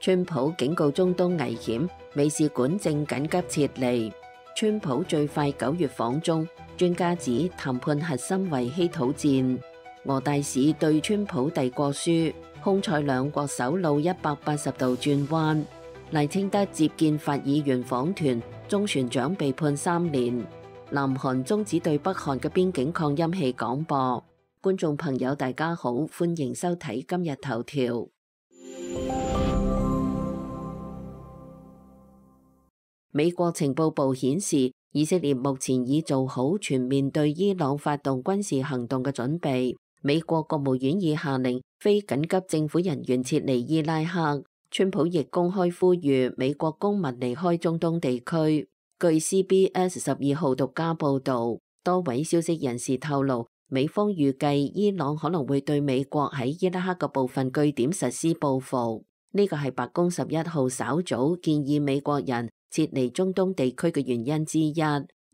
川普警告中東危險，美使館正緊急撤離。川普最快9月訪中，專家指談判核心為稀土戰。俄大使對川普遞過書，匈塞兩國首腦180度轉彎。賴清德接見法議員訪團，中船長被判3年。南韓終止對北韓嘅邊境擴音器廣播。觀眾朋友大家好，歡迎收睇今日頭條。美國情報部顯示，以色列目前已做好全面對伊朗發動軍事行動嘅準備。美國國務院已下令非緊急政府人員撤離伊拉克。川普亦公開呼籲美國公民離開中東地區。據 CBS 12號獨家報導，多位消息人士透露，美方預計伊朗可能會對美國喺伊拉克嘅部分據點實施報復。呢個係白宮11號稍早建議美國人撤離中東地區嘅原因之一。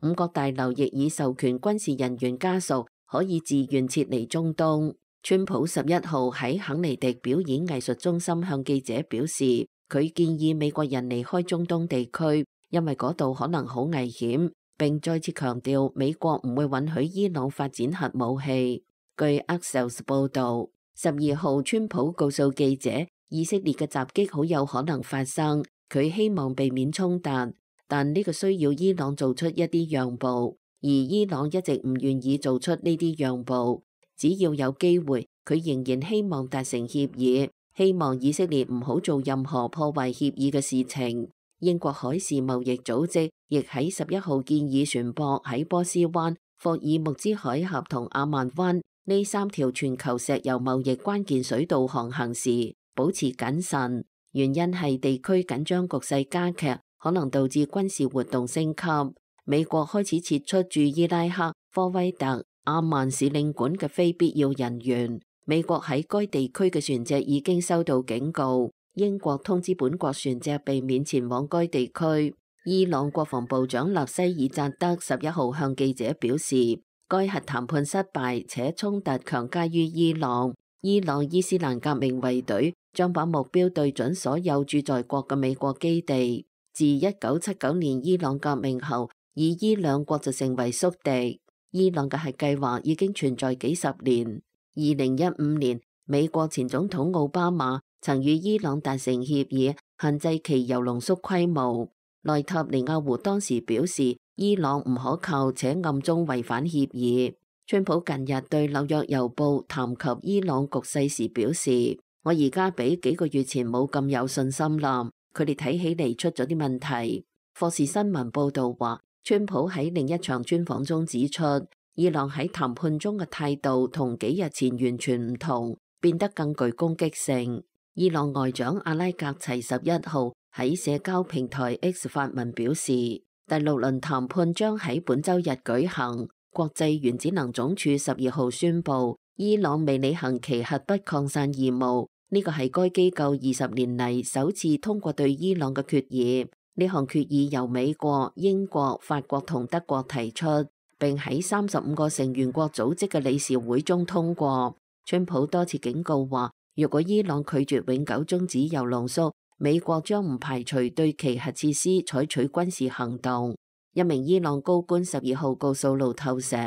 五角大樓亦已授權軍事人員家屬可以自願撤離中東。川普11號喺肯尼迪表演藝術中心向記者表示，佢建議美國人離開中東地區，因為嗰度可能好危險，並再次強調美國唔會允許伊朗發展核武器。據 Axios 報導，12號川普告訴記者，以色列嘅襲擊好有可能發生，佢希望避免衝突，但呢個需要伊朗做出一啲讓步，而伊朗一直唔願意做出呢啲讓步。只要有機會，佢仍然希望達成協議，希望以色列唔好做任何破壞協議嘅事情。英國海事貿易組織亦喺11號建議船舶喺波斯灣、霍爾木茲海峽同阿曼灣呢3條全球石油貿易關鍵水道航行時保持謹慎，原因係地區緊張局勢加劇，可能導致軍事活動升級。美國開始撤出駐伊拉克、科威特、阿曼使領館嘅非必要人員。美國喺該地區嘅船隻已經收到警告。英國通知本國船隻避免前往該地區。伊朗國防部長納西爾扎德11號向記者表示，該核談判失敗且衝突強加於伊朗。伊朗伊斯蘭革命衛隊將把目標對準所有駐在國嘅美國基地。自1979年伊朗革命後，以伊兩國就成為宿敵。伊朗嘅核計劃已經存在幾十年。2015年，美國前總統奧巴馬曾與伊朗達成協議，限制其鈾濃縮規模。內塔尼亞胡當時表示，伊朗唔可靠且暗中違反協議。川普近日對紐約郵報談及伊朗局勢時表示，我而家比幾個月前冇咁有信心啦，佢哋睇起嚟出咗啲問題。霍士新聞報道話，川普喺另一場專訪中指出，伊朗喺談判中嘅態度同幾日前完全唔同，變得更具攻擊性。伊朗外長阿拉格齊11號喺社交平台 X 發文表示，第6輪談判將喺本週日舉行。國際原子能總署12號宣布，伊朗未履行其核不擴散義務，呢個係該機構20年嚟首次通過對伊朗嘅決議。呢項決議由美國、英國、法國同德國提出，並喺35個成員國組織嘅理事會中通過。川普多次警告話，如果伊朗拒絕永久終止鈾濃縮，美國將唔排除對其核設施採取軍事行動。一名伊朗高官12號告訴路透社，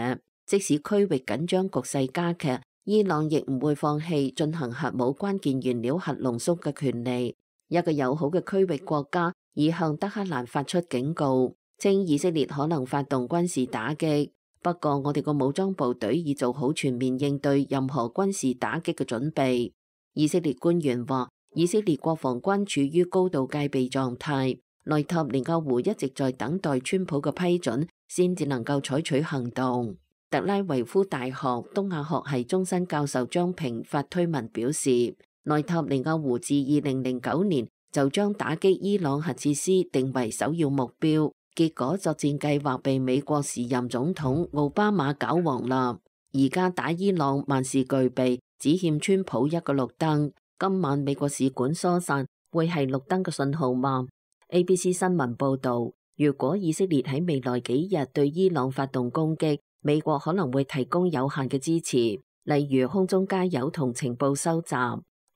即使區域緊張局勢加劇，伊朗亦唔會放棄進行核武關鍵原料核濃縮嘅權利。一個友好嘅區域國家已向德黑蘭發出警告，稱以色列可能發動軍事打擊。不過我哋個武裝部隊已做好全面應對任何軍事打擊嘅準備。以色列官員話，以色列國防軍處於高度戒備狀態。內塔尼亞胡一直在等待川普嘅批准，先至能夠採取行動。特拉維夫大學東亞學系終身教授張平發推文表示，內塔尼亞胡自2009年就將打擊伊朗核設施定為首要目標，結果作戰計劃被美國時任總統奧巴馬搞黃啦。而家打伊朗萬事俱備，只欠川普一個綠燈。今晚美國使館疏散會係綠燈嘅信號嗎？ABC 新聞報道，如果以色列喺未來幾日對伊朗發動攻擊，美國可能會提供有限嘅支持，例如空中加油同情報收集。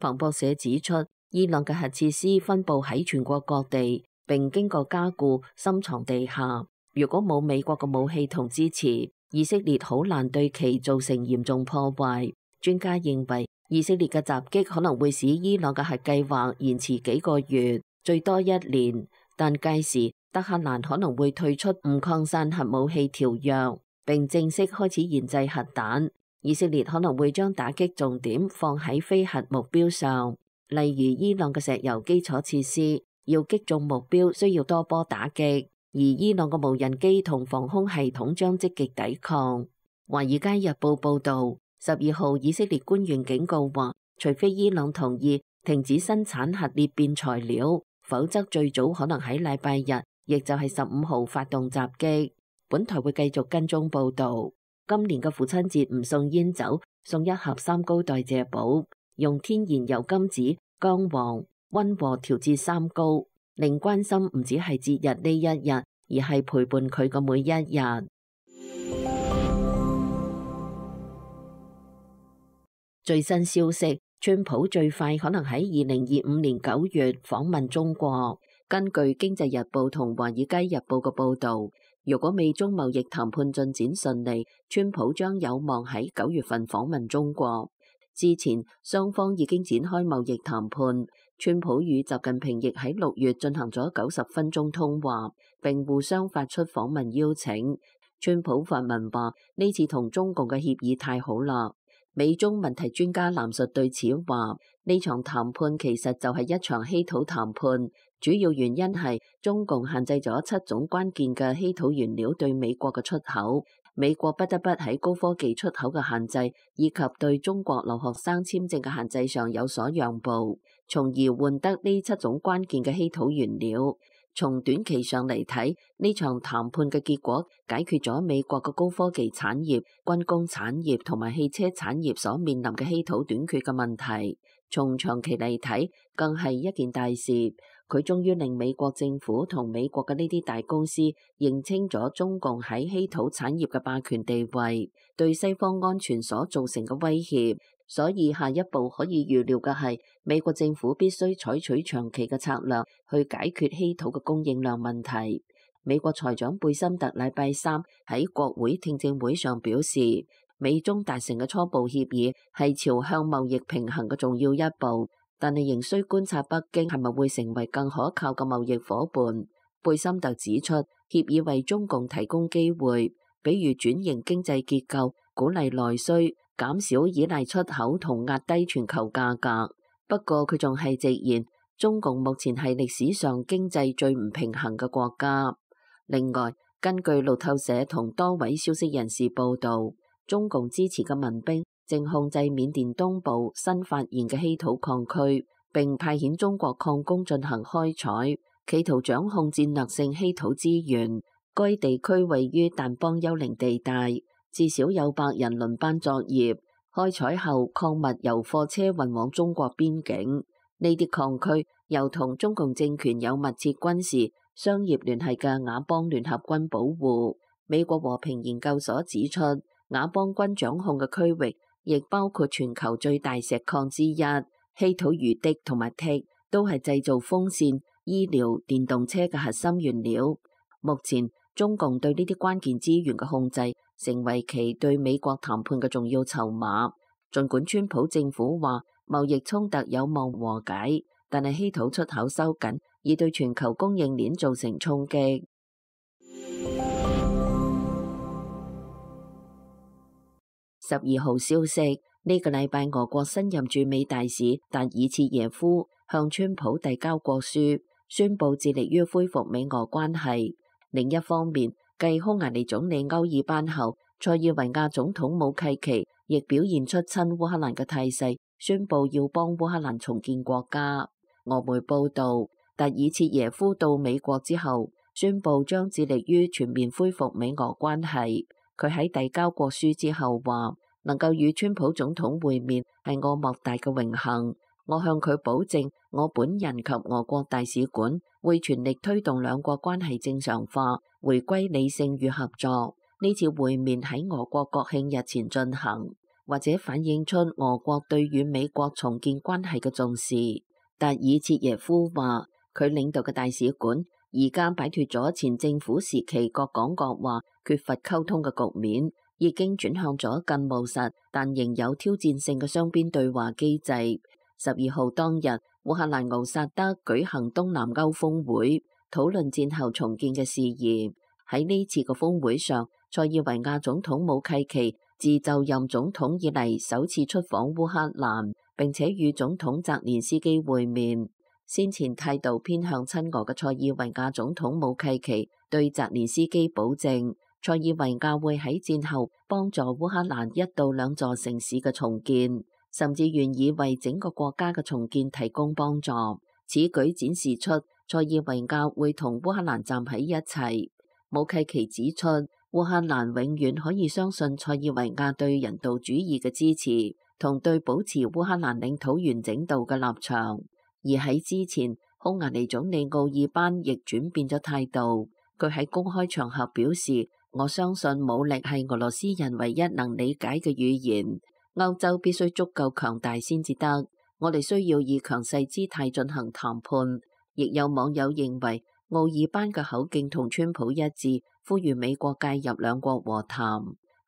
彭博社指出，伊朗嘅核設施分佈喺全國各地，並經過加固，深藏地下。如果冇美國嘅武器同支持，以色列好難對其造成嚴重破壞。專家認為，以色列嘅襲擊可能會使伊朗嘅核計劃延遲幾個月，最多1年。但屆時，德黑蘭可能會退出唔擴散核武器條約，並正式開始研製核彈。以色列可能會將打擊重點放喺非核目標上，例如伊朗嘅石油基礎設施，要擊中目標需要多波打擊。而伊朗嘅無人機同防空系統將積極抵抗。華爾街日報報導，12號以色列官員警告話，除非伊朗同意停止生產核裂變材料，否則最早可能喺禮拜日，亦就係15號發動襲擊。本台會繼續跟蹤報導。今年嘅父親節唔送煙酒，送一盒三高代謝寶，用天然油甘子、薑黃溫和調節三高。令關心唔只係節日呢一日，而係陪伴佢嘅每一日。最新消息，川普最快可能喺2025年9月訪問中國。根據《經濟日報》同《華爾街日報》嘅報導，如果美中貿易談判進展順利，川普將有望喺9月份訪問中國。之前雙方已經展開貿易談判。川普與習近平亦喺6月進行咗90分鐘通話，並互相發出訪問邀請。川普發文話：呢次同中共嘅協議太好啦。美中問題專家藍述對此話：呢場談判其實就係一場稀土談判，主要原因係中共限制咗7種關鍵嘅稀土原料對美國嘅出口。美國不得不喺高科技出口嘅限制以及對中國留學生簽證嘅限制上有所讓步，從而換得呢7種關鍵嘅稀土原料。從短期上嚟睇，呢場談判嘅結果解決咗美國嘅高科技產業、軍工產業同埋汽車產業所面臨嘅稀土短缺嘅問題。從長期嚟睇，更係一件大事。佢終於令美國政府同美國嘅呢啲大公司認清咗中共喺稀土產業嘅霸權地位，對西方安全所造成嘅威脅。所以下一步可以預料嘅係，美國政府必須採取長期嘅策略去解決稀土嘅供應量問題。美國財長貝森特禮拜3喺國會聽證會上表示，美中達成嘅初步協議係朝向貿易平衡嘅重要一步，但係仍需觀察北京係咪會成為更可靠嘅貿易夥伴。貝森特指出，協議為中共提供機會，比如轉型經濟結構、鼓勵內需、減少依賴出口同壓低全球價格。不過佢仲係直言，中共目前係歷史上經濟最唔平衡嘅國家。另外，根據路透社同多位消息人士報道，中共支持嘅民兵正控制緬甸東部新發現嘅稀土礦區，並派遣中國礦工進行開採，企圖掌控戰略性稀土資源。該地區位於但邦幽靈地帶，至少有100人輪班作業。開採後，礦物由貨車運往中國邊境。呢啲礦區由同中共政權有密切軍事、商業聯繫嘅佤邦聯合軍保護。美國和平研究所指出，佤邦軍掌控嘅區域亦包括全球最大石礦之一稀土魚銻同埋銻，都係製造風扇、醫療、電動車嘅核心原料。目前，中共對呢啲關鍵資源嘅控制，成為其對美國談判嘅重要籌碼。儘管川普政府話貿易衝突有望和解，但係稀土出口收緊，已對全球供應鏈造成衝擊。12號消息，呢個禮拜俄國新任駐美大使達爾切耶夫向川普遞交國書，宣布致力於恢復美俄關係。另一方面，繼匈牙利總理歐爾班後，塞爾維亞總統武契奇亦表現出親烏克蘭嘅態勢，宣布要幫烏克蘭重建國家。俄媒報道，達爾切耶夫到美國之後，宣布將致力於全面恢復美俄關係。佢喺遞交國書之後話，能夠與川普總統會面係我莫大嘅榮幸。我向佢保證，我本人及俄國大使館會全力推動兩國關係正常化，回歸理性與合作。呢次會面喺俄國國慶日前進行，或者反映出俄國對與美國重建關係嘅重視。達爾切耶夫話，佢領導嘅大使館而家擺脫咗前政府時期各講各話、缺乏溝通嘅局面，已經轉向咗更務實但仍有挑戰性嘅雙邊對話機制。12號當日，烏克蘭敖薩德舉行東南歐峰會，討論戰後重建嘅事宜。喺呢次嘅峰會上，塞爾維亞總統武契奇自就任總統以嚟首次出訪烏克蘭，並且與總統澤連斯基會面。先前態度偏向親俄嘅塞爾維亞總統武契奇對澤連斯基保證，塞爾維亞會喺戰後幫助烏克蘭1到2座城市嘅重建，甚至願意為整個國家嘅重建提供幫助。此舉展示出塞爾維亞會同烏克蘭站喺一齊。武契奇指出，烏克蘭永遠可以相信塞爾維亞對人道主義嘅支持，同對保持烏克蘭領土完整度嘅立場。而喺之前，匈牙利總理奧爾班亦轉變咗態度。佢喺公開場合表示，我相信武力係俄羅斯人唯一能理解嘅語言。歐洲必須足夠強大先至得，我哋需要以強勢姿態進行談判。亦有網友認為，奧爾班嘅口徑同川普一致，呼籲美國介入兩國和談。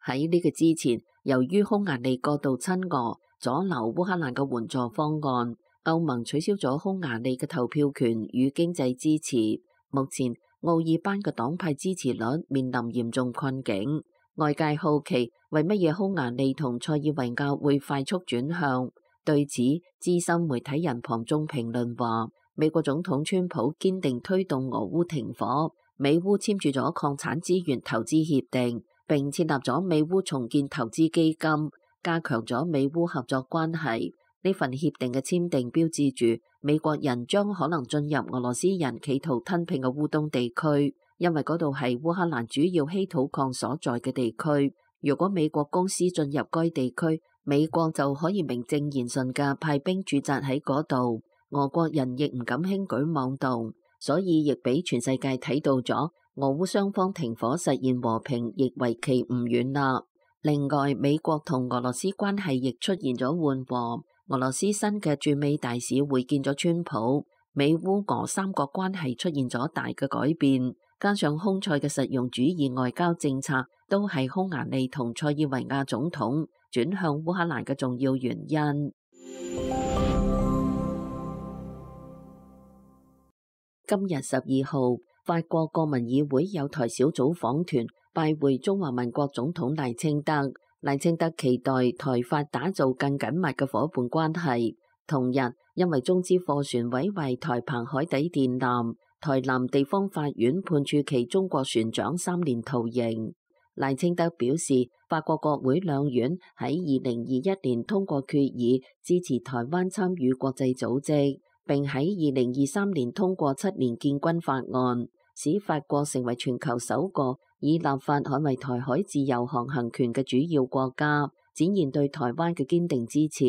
喺呢個之前，由於匈牙利過度親俄，阻撓烏克蘭嘅援助方案，歐盟取消咗匈牙利嘅投票權與經濟支持。目前，奧爾班嘅黨派支持率面臨嚴重困境。外界好奇，為乜嘢匈牙利同塞爾維亞會快速轉向？對此，資深媒體人龐中評論話，美國總統川普堅定推動俄烏停火，美烏簽署咗礦產資源投資協定，並設立咗美烏重建投資基金，加強咗美烏合作關係。呢份協定嘅簽訂標誌住美國人將可能進入俄羅斯人企圖吞併嘅烏東地區，因為嗰度係烏克蘭主要稀土礦所在嘅地區。如果美國公司進入該地區，美國就可以名正言順嘅派兵駐紮喺嗰度，俄國人亦唔敢輕舉妄動，所以亦俾全世界睇到咗俄烏雙方停火實現和平，亦為期唔遠啦。另外，美國同俄羅斯關係亦出現咗緩和。俄羅斯新嘅駐美大使會見咗川普，美烏俄三國關係出現咗大嘅改變，加上匈塞嘅實用主義外交政策，都係匈牙利同塞爾維亞總統轉向烏克蘭嘅重要原因。今日12號，法國國民議會有台小組訪團拜會中華民國總統賴清德。賴清德期待台法打造更緊密嘅夥伴關係。同日，因為中資貨船毀壞台澎海底電纜，台南地方法院判處其中國船長3年徒刑。賴清德表示，法國國會兩院喺2021年通過決議，支持台灣參與國際組織，並喺2023年通過7年建軍法案，使法國成為全球首個以立法捍衛台海自由航行權嘅主要國家，展現對台灣嘅堅定支持。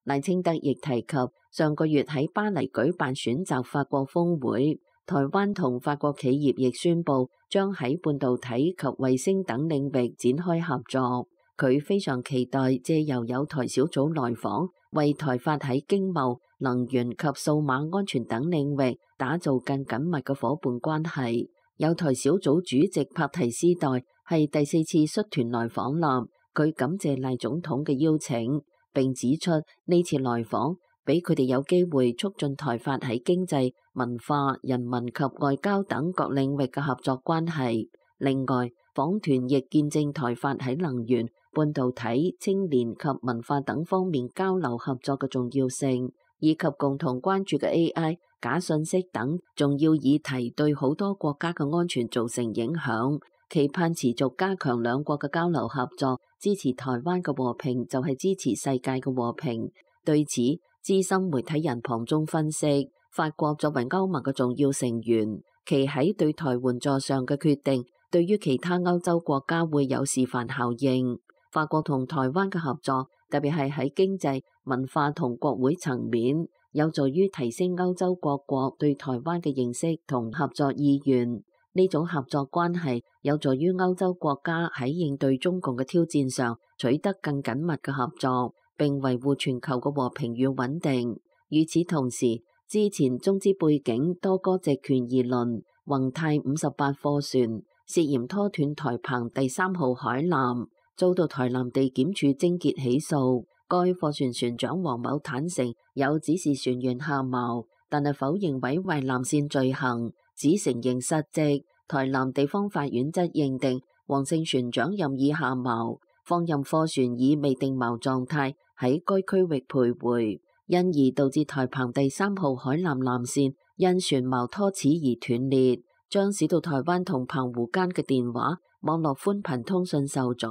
賴清德亦提及上個月喺巴黎舉辦選擇法國峰會，台灣同法國企業亦宣布將喺半導體及衛星等領域展開合作。佢非常期待借由有台小組來訪，為台法喺經貿、能源及數碼安全等領域打造更緊密嘅夥伴關係。有台小組主席帕提斯代係第4次率團來訪啦，佢感謝賴總統嘅邀請，並指出呢次來訪俾佢哋有機會促進台法喺經濟、文化、人民及外交等各領域嘅合作關係。另外，訪團亦見證台法喺能源、半導體、青年及文化等方面交流合作嘅重要性，以及共同關注嘅 AI、假信息等重要議題對好多國家嘅安全造成影響，期盼持續加強兩國嘅交流合作，支持台灣嘅和平就係支持世界嘅和平。對此，資深媒體人龐中分析，法國作為歐盟嘅重要成員，其喺對台援助上嘅決定，對於其他歐洲國家會有示範效應。法國同台灣嘅合作，特別係喺經濟、文化同國會層面，有助於提升歐洲各國對台灣嘅認識同合作意願。呢種合作關係有助於歐洲國家喺應對中共嘅挑戰上取得更緊密嘅合作，並維護全球嘅和平與穩定。與此同時，之前中資背景多哥籍權宜輪宏泰58貨船涉嫌拖斷台澎第3號海纜，遭到台南地檢署偵結起訴。該貨船船長黃某坦承有指示船員下錨，但係否認毀壞纜線罪行，只承認失職。台南地方法院則認定黃姓船長任意下錨，放任貨船以未定錨狀態喺該區域徘徊，因而導致台澎第3號海纜纜線因船錨拖齒而斷裂，將使到台灣同澎湖間嘅電話、網絡寬頻通訊受阻，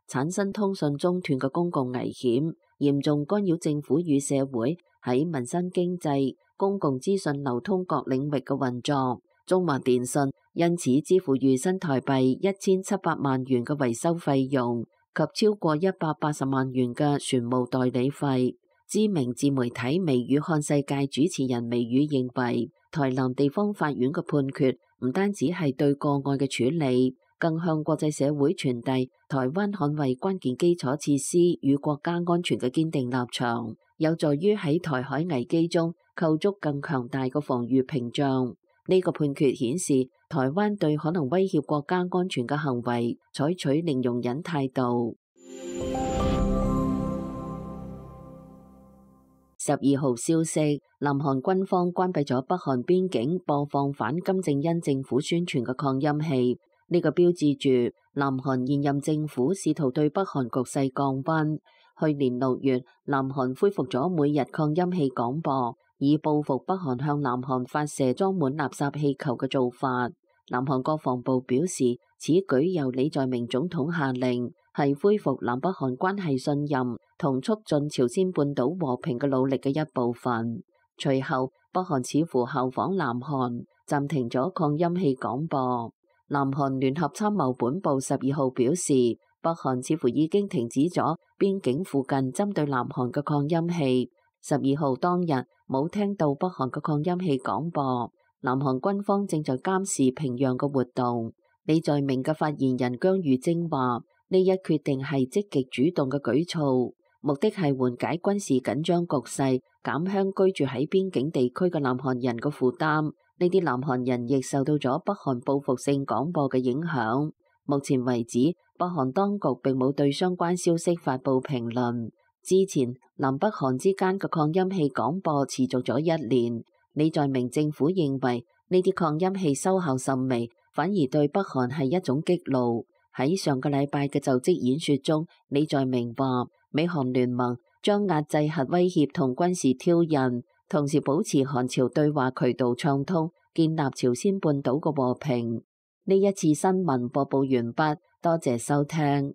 產生通訊中斷嘅公共危險，嚴重干擾政府與社會喺民生經濟、公共資訊流通各領域嘅運作。中華電信因此支付逾新台幣1700萬元嘅維修費用及超過180萬元嘅船務代理費。知名自媒體微語看世界主持人微語認為，台南地方法院嘅判決唔單止係對個案嘅處理，更向國際社會傳遞台灣捍衛關鍵基礎設施與國家安全嘅堅定立場，有助於喺台海危機中構築更強大嘅防禦屏障。呢個判決顯示，台灣對可能威脅國家安全嘅行為採取零容忍態度。12號消息，南韓軍方關閉咗北韓邊境播放反金正恩政府宣傳嘅擴音器，呢個標誌住南韓現任政府試圖對北韓局勢降溫。去年6月，南韓恢復咗每日擴音器廣播，以報復北韓向南韓發射裝滿垃圾氣球嘅做法。南韓國防部表示，此舉由李在明總統下令，係恢復南北韓關係信任同促進朝鮮半島和平嘅努力嘅一部分。隨後，北韓似乎效仿南韓，暫停咗擴音器廣播。南韓聯合參謀本部12號表示，北韓似乎已經停止咗邊境附近針對南韓嘅擴音器。12號當日冇聽到北韓嘅擴音器廣播。南韓軍方正在監視平壤嘅活動。李在明嘅發言人姜裕貞話：呢一決定係積極主動嘅舉措，目的係緩解軍事緊張局勢，減輕居住喺邊境地區嘅南韓人嘅負擔。呢啲南韓人亦受到咗北韓報復性廣播嘅影響。目前為止，北韓當局並冇對相關消息發布評論。之前，南北韓之間嘅擴音器廣播持續咗1年。李在明政府認為呢啲擴音器收效甚微，反而對北韓係一種激怒。喺上個禮拜嘅就職演說中，李在明話美韓聯盟將壓制核威脅同軍事挑釁，同時保持韓朝對話渠道暢通，建立朝鮮半島嘅和平。呢一次新聞播報完畢，多謝收聽。